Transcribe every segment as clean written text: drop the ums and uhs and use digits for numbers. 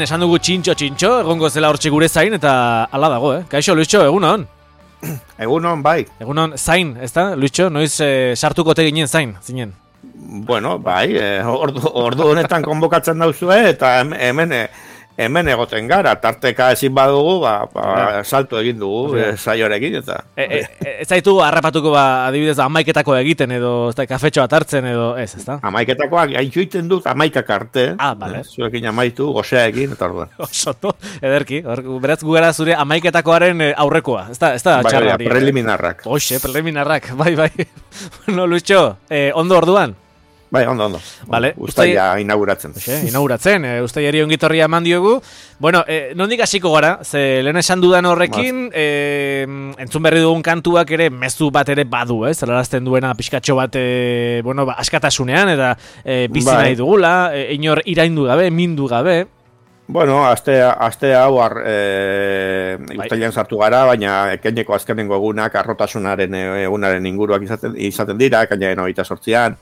Esan dugu txintxo, egongo zela hortxe gure zain, eta hala dago, Kaixo, Luitxo, egunon? Egunon, bai. Egunon, zain, ez da, Luitxo? Noiz sartuko te ginen zain, zinen? Bueno, bai, ordu honetan konbokatzen dauzue, eta hemen egoten gara, tarteka ezin badugu, salto egin dugu, saioarekin, eta... Ez zaitu harrapatuko, adibidez, amaiketako egiten, edo kafetxo bat hartzen, edo ez da? Amaiketakoak gaitxuiten dut, amaikak arte. Bale. Zuekin amaitu, goseaekin, eta orduan. Osoto, ederki, beraz gu gara zure amaiketakoaren aurrekoa, ez da txarra hori. Preliminarrak. Hoxe, preliminarrak, bai. Bueno, Luitxo, ondo orduan? Bai, ondo. Vale, Uztaila inauguratzen. Inauguratzen, uztailari ongitorria eman diogu. Bueno, nondik hasiko gara, ze lehen esan dudan horrekin, entzun berri dugun kantuak ere, mezu bat ere badu, zelarazten duena pixkatxo bat, askatasunean, eta bizi nahi dugula, inor iraindu gabe, mindu gabe. Bueno, aste hau uztailean sartu gara, baina ekaineko azkenengo egunak, arrotasunaren egunaren inguruak izaten dira, ekainaren 28an.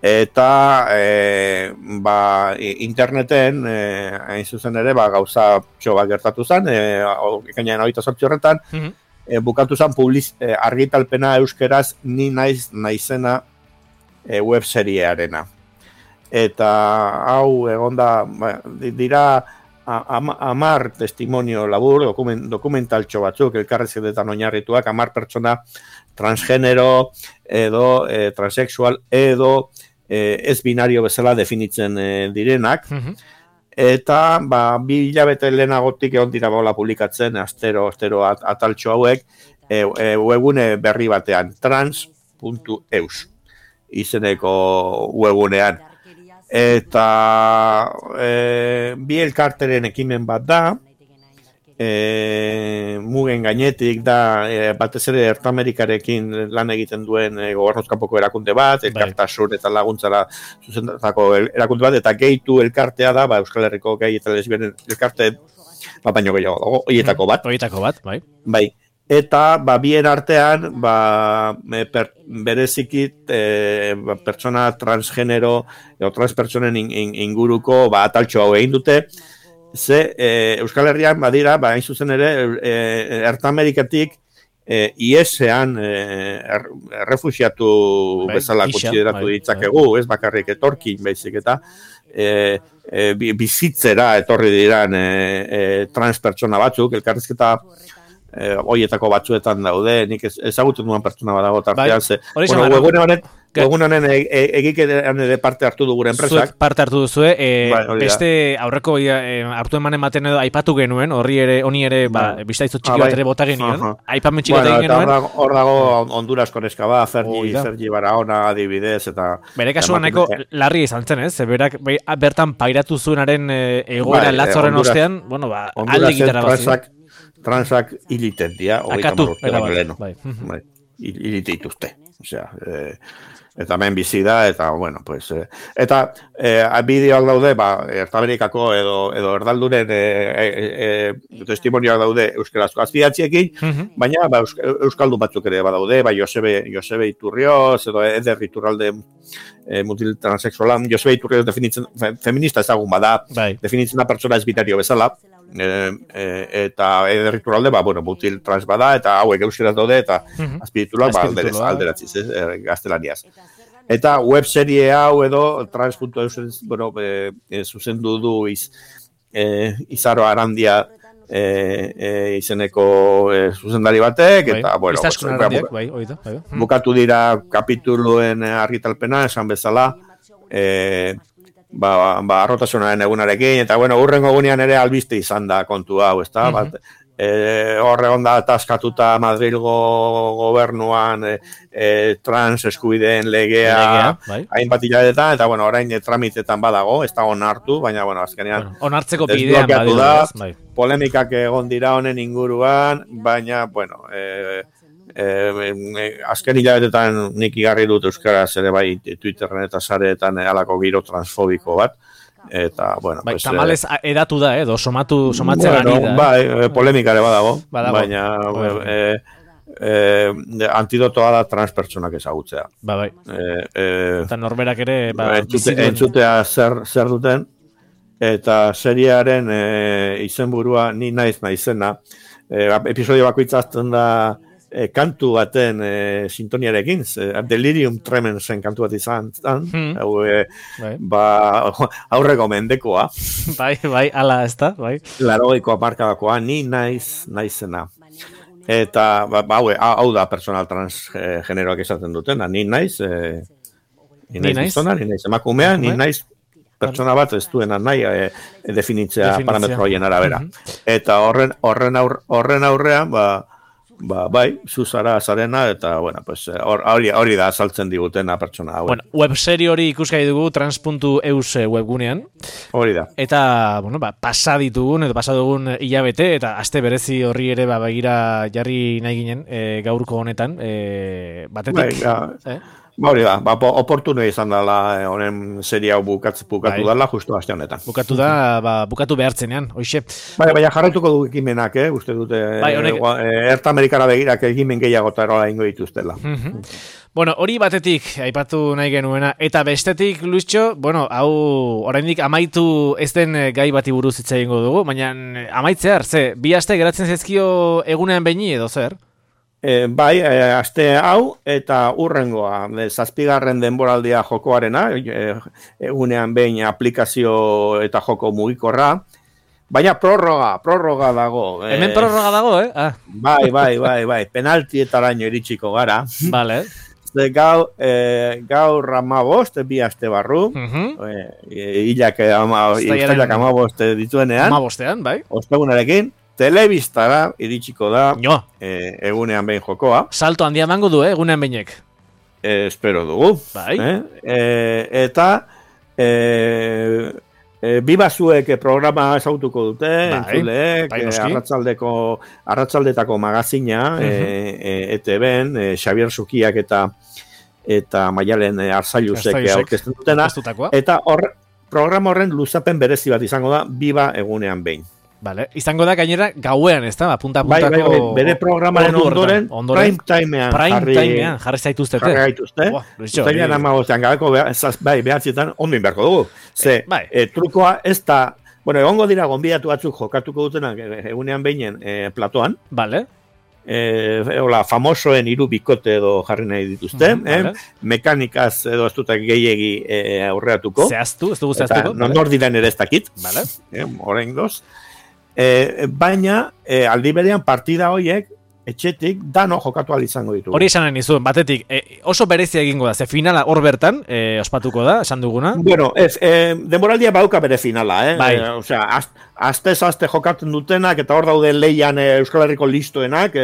Eta interneten hain zuzen ere gauza bat gertatu zen, ekainaren 28 horretan, bukatu zen argitalpena euskeraz ni naizena webseriearena. Eta hau egonda dira 10 testimonio labur, dokumentaltxo batzuk, elkarrezketetan oinarrituak, 10 pertsona transgenero edo transexual edo ez binario bezala definitzen direnak, eta 2 hilabete lehenagotik egon dira publikatzen astero ataltxo hauek webgune berri batean, trans.eus izeneko webgunean. Eta bi elkarteren ekimen bat da, mugen gainetik da, batez ere Ertamerikarekin lan egiten duen gobernuzkanpoko erakunde bat, elkartasun eta laguntzara zuzendutako erakunde bat, eta gehitu elkartea da, Euskal Herriko gehi eta lesbianen elkarte, baino gehiago dago, horietako bat. Bai. Eta, bien artean, berezikit pertsona transgenero, edo transpertsonen inguruko ataltxo hau egin dute, ze Euskal Herrian badira, hain zuzen ere, Ertamerikatik IES-ean errefuxiatu bezala kontsideratu ditzakegu, ez bakarrik etorkin baizik eta bizitzera etorri diran transpertsona batzuk, elkarrizketa horietako batzuetan daude, nik ezagutzen duan pertsona badago tartean, egun honen egiketan ere parte hartu du gure enpresak. Zuek parte hartu duzue, beste aurreko hartu ematen edo aipatu genuen, honi ere biztaizut txiki bat ere bota genuen, aipamen txiki bat egin genuen. Hor dago Hondurasko neska bat, Sergi Barahona adibidez, eta... Bere kasuan nahiko larri izan zen, ez? Berak bertan pairatu zuenaren egoera latzorren ostean, alde gitara bat. Transak hiliten dira, akatu, hilite dituzte. Eta hemen bizi da, eta, eta bideoak daude, Ertamerikako edo erdalduren testimonioak daude euskarazko azpidatziekin, baina euskaldun batzuk ere badaude, Josebe Iturrioz, edo Eder Iturralde mutil transexualan, Josebe Iturrioz definitzen, feminista ezagun bada, definitzen da pertsona ez binario bezala, eta Eder Iturralde, mutil trans bada, eta hauek euskaraz daude, eta azpitituloak alderatziz, gaztelaniaz. Eta webserie hau edo trans.eus zuzendu du Izaro Arandia izeneko zuzendari batek, eta bukatu dira kapituluen argitalpena, esan bezala, arrotasunaren egunarekin, eta hurrengo egunean ere albiste izan da kontu hau, ez da, horre onda ataskatuta Madrilgo gobernuan trans eskubideen legea hainbat hilabetetan, eta orain tramitetan badago, ez da onartu, baina azkenean onartzeko bidean badiru, polemikak egon dira honen inguruan, baina azken hilabetetan nik igarri dut euskaraz ere bai Twitterren eta sareetan alako giro transfobiko bat, eta, tamalez edatu da, edo somatzen ari da. Polemikare badago, baina antidotoa da transpertsonak ezagutzea. Eta norberak ere... Entzutea zer duten, eta seriaren izenburua ni naiz naizena. Episodio bakoitzazten da kantu baten sintoniarekin, Delirium Tremensen kantu bat izan, aurreko mendekoa. Bai, ala ez da, bai. 80ko hamarkadakoa, ni naizena. Eta, hau da personal transgeneroak esaten dutena, ni naiz gizona, ni naiz emakumea, ni naiz pertsona bat ez duena nahi definitzea parametro horien arabera. Eta horren aurrean, bai, zuzara zarena, eta, bueno, pues, hori da azaltzen digutena pertsona hau. Bueno, webserie hori ikusgai dugu trans.eus webgunean. Hori da. Eta, bueno, pasa dugun hilabete, eta aste berezi horri ere begira jarri nahi ginen gaurko honetan, batetik. Hori da, oportuno izan dela honen serie hau bukatu dela justu aste honetan. Bukatu da, bukatu behartzenean, hoxe. Baina jarraituko du ekimenak, uste dute, Erta Amerikara begirak ekimen gehiago eta erola ingo dituztela. Bueno, hori batetik aipatu nahi genuena, eta bestetik, Luischo, bueno, hau oraindik amaitu ez den gai bati buruz hitz egingo dugu, baina amaitzear, bi aste geratzen zaizkio egunean beini edo zer? Bai, aste hau eta urrengoa, 7. denboraldia jokoarena, egunean behin aplikazio eta joko mugikorra, baina prorroga dago. Hemen prorroga dago, Bai, penaltietaraino iritsiko gara. Vale. Gaur 15, bi aste barru, hilak 15 dituenean. 15ean, bai. Ostegunarekin. Telebistara iritsiko da egunean behin jokoa. Salto handia emango du, egunean behinek. Espero dugu. Bai. Eta bibazuek programa ezagutuko dute, entzuleek, arratsaldetako magazina, ETB-en, Xabier Zukiak eta Maialen Arzailusek aurkezten dutena. Eta programa horren luzapen berezi bat izango da, biba egunean behin. Vale. Izango da gainera gauean, ez da? Punta-puntako... Bai, bere programaren ondoren prime timean jarri zaituztete. Jarri gaituzte. Uztailean 15ean gabeko behatzietan ondin beharko dugu. Trukoa ez da... Bueno, egongo dira gonbidatu batzuk jokatuko dutenak egunean behinen platoan. Vale. Famosoen 3 bikote edo jarri nahi dituzte. Mekanikaz edo ez dutak gehiegi aurreatuko. Zehaztu, ez dugu zehaztuko. Nor diren ere ez dakit. Vale. Oraingoz. Baina aldi berean partida horiek etxetik dano jokatu ahal izango ditugu. Hori esanen nizuen, batetik oso berezia egingo da, ze finala hor bertan ospatuko da, esan duguna? Bueno, denboraldia bauka bere finala, Bai. Osea, aste jokatzen dutenak, eta hor daude leian Euskal Herriko listoenak,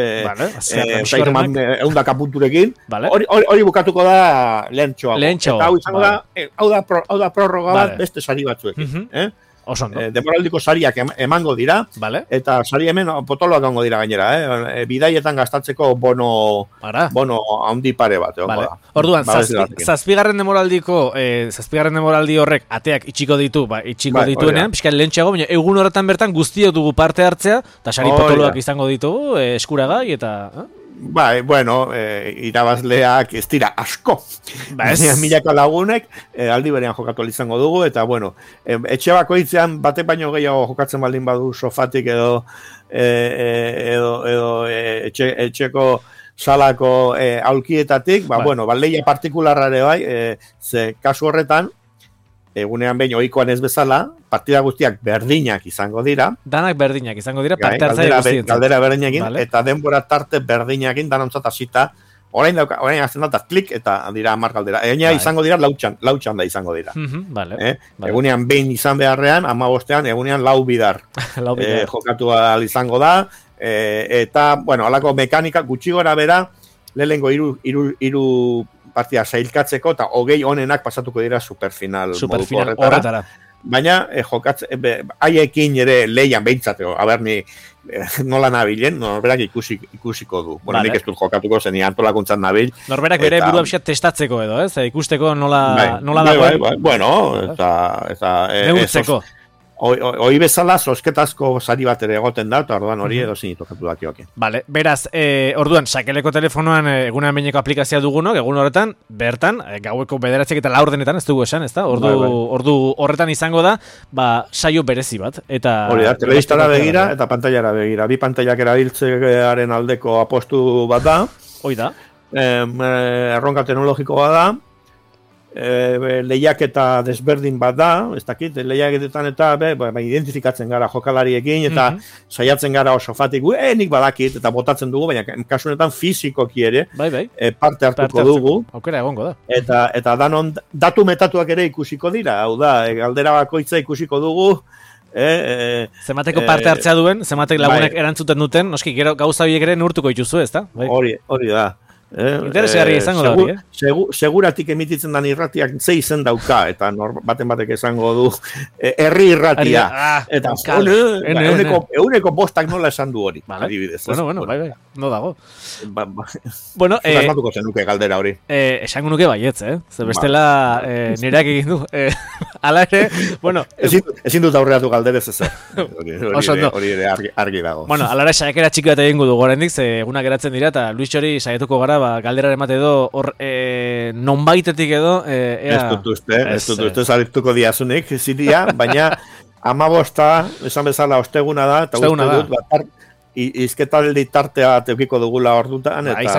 eundaka punturekin, hori bukatuko da lehentxoago. Eta hau izango da, hau da prorroga bat beste sari batzuekin. Demoraldiko sariak emango dira, eta sari hemen potoloak emango dira gainera, bidaietan gastatzeko bono handi pare bat. Orduan, 7. demoraldi horrek ateak itxiko dituenean, pixka lehentxeago, baina egun horretan bertan guztio dugu parte hartzea, eta sari potoloak izango ditugu, eskuragai, eta... Bai, bueno, irabazleak ez dira asko. Milaka lagunek aldi berean jokatu izango dugu, eta bueno, etxe bakoitzean batek baino gehiago jokatzen baldin badu sofatik edo etxeko salako aulkietatik, bueno, leia partikularrare bai, ze kasu horretan, egunean behin ohikoan ez bezala, partida guztiak berdinak izango dira. Danak berdinak izango dira, parte hartzaile guztietan. Galdera berdinakin, eta denbora tarte berdinakin, danontzat hasita, orain azten da, klik, eta dira 10 galdera. Egina izango dira, lautxan da izango dira. Egunean behin izan beharrean, 15ean, egunean 4 bidar. Jokatu izango da, eta, bueno, alako mekanika gutxi gora bera, lehengo hiru partia sailkatzeko, eta 20 honenak pasatuko dira superfinal horretara. Baina, haiekin ere leian behintzateo, aberni nola nabilen, norberak ikusiko du. Bueno, nik ez dut jokatuko zen, antolakuntzan nabil. Norberak bere burua pixat testatzeko edo, ikusteko nola dagoen. Bueno, eta... Neurtzeko. Hoi bezala, sosketazko sari bat ere egoten da, eta orduan hori edo zinitokatu dakioak. Vale, beraz, orduan, sakeleko telefonoan egunan behineko aplikazioa dugunok, egun horretan, bertan, gaueko 9 eta 4 ez dugu esan, ez da? Ordu horretan izango da, saio berezi bat. Hori da, telebistara begira eta pantailara begira. Bi pantailak erabiltzearen aldeko apostu bat da. Hoi da. Erronka teknologikoa da. Lehiaketa desberdin bat da, ez dakit, lehiaketetan eta identifikatzen gara jokalariekin eta saiatzen gara oso fatik, nik badakit eta botatzen dugu, baina kasunetan fizikoki ere parte hartuko dugu. Aukera egongo da. Eta danon datu metatuak ere ikusiko dira, hau da, galdera bakoitza ikusiko dugu. Zemateko parte hartzea duen, zematek lagunek erantzuten duten, noski, gero gauza biek ere neurtuko dituzu, ez da? Hori da. Interesgarria izango da hori, seguratik emititzen dan irratiak ze izen dauka, eta batek esango du herri irratia. Eta euneko bostak nola esan du hori. Adibidez. Bueno, bai, no dago. Bueno, asmatuko zenuke galdera hori. Esango nuke baietz, ze bestela nireak egin du. Ala ere, bueno... Ezin dut aurreatu galderez ez. Hori ere argi dago. Bueno, ala ere saiakera txiki bat egingo du gorendik, ze egunak geratzen dira, eta Luis hori saiatuko gara galdera emate edo hor nonbaitetik edo ez dut uste zarituko diazunik ziria, baina 15 esan bezala osteguna da eta uste dut izketaldi tartea teukiko dugula ordutan eta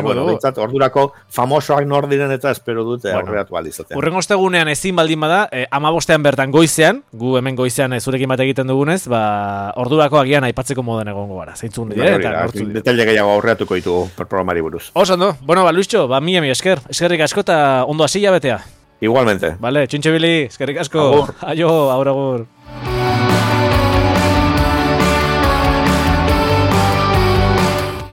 ordurako famosoak nor diren eta espero dute aurreatu alizaten. Urrengo ostegunean ezin baldin bada 15 bertan goizean, gu hemen goizean zurekin bat egiten dugunez, ordurako agian aipatzeko moden egongo gara. Zeintzun dira eta nortzu dira. Detaile gehiago aurreatuko ditugu programari buruz. Oso ondo. Bueno, Luisxo, mi eskerrik asko eta ondo hasi jabetea. Igualmente. Vale, txintxe bili, eskerrik asko. Aio, agur.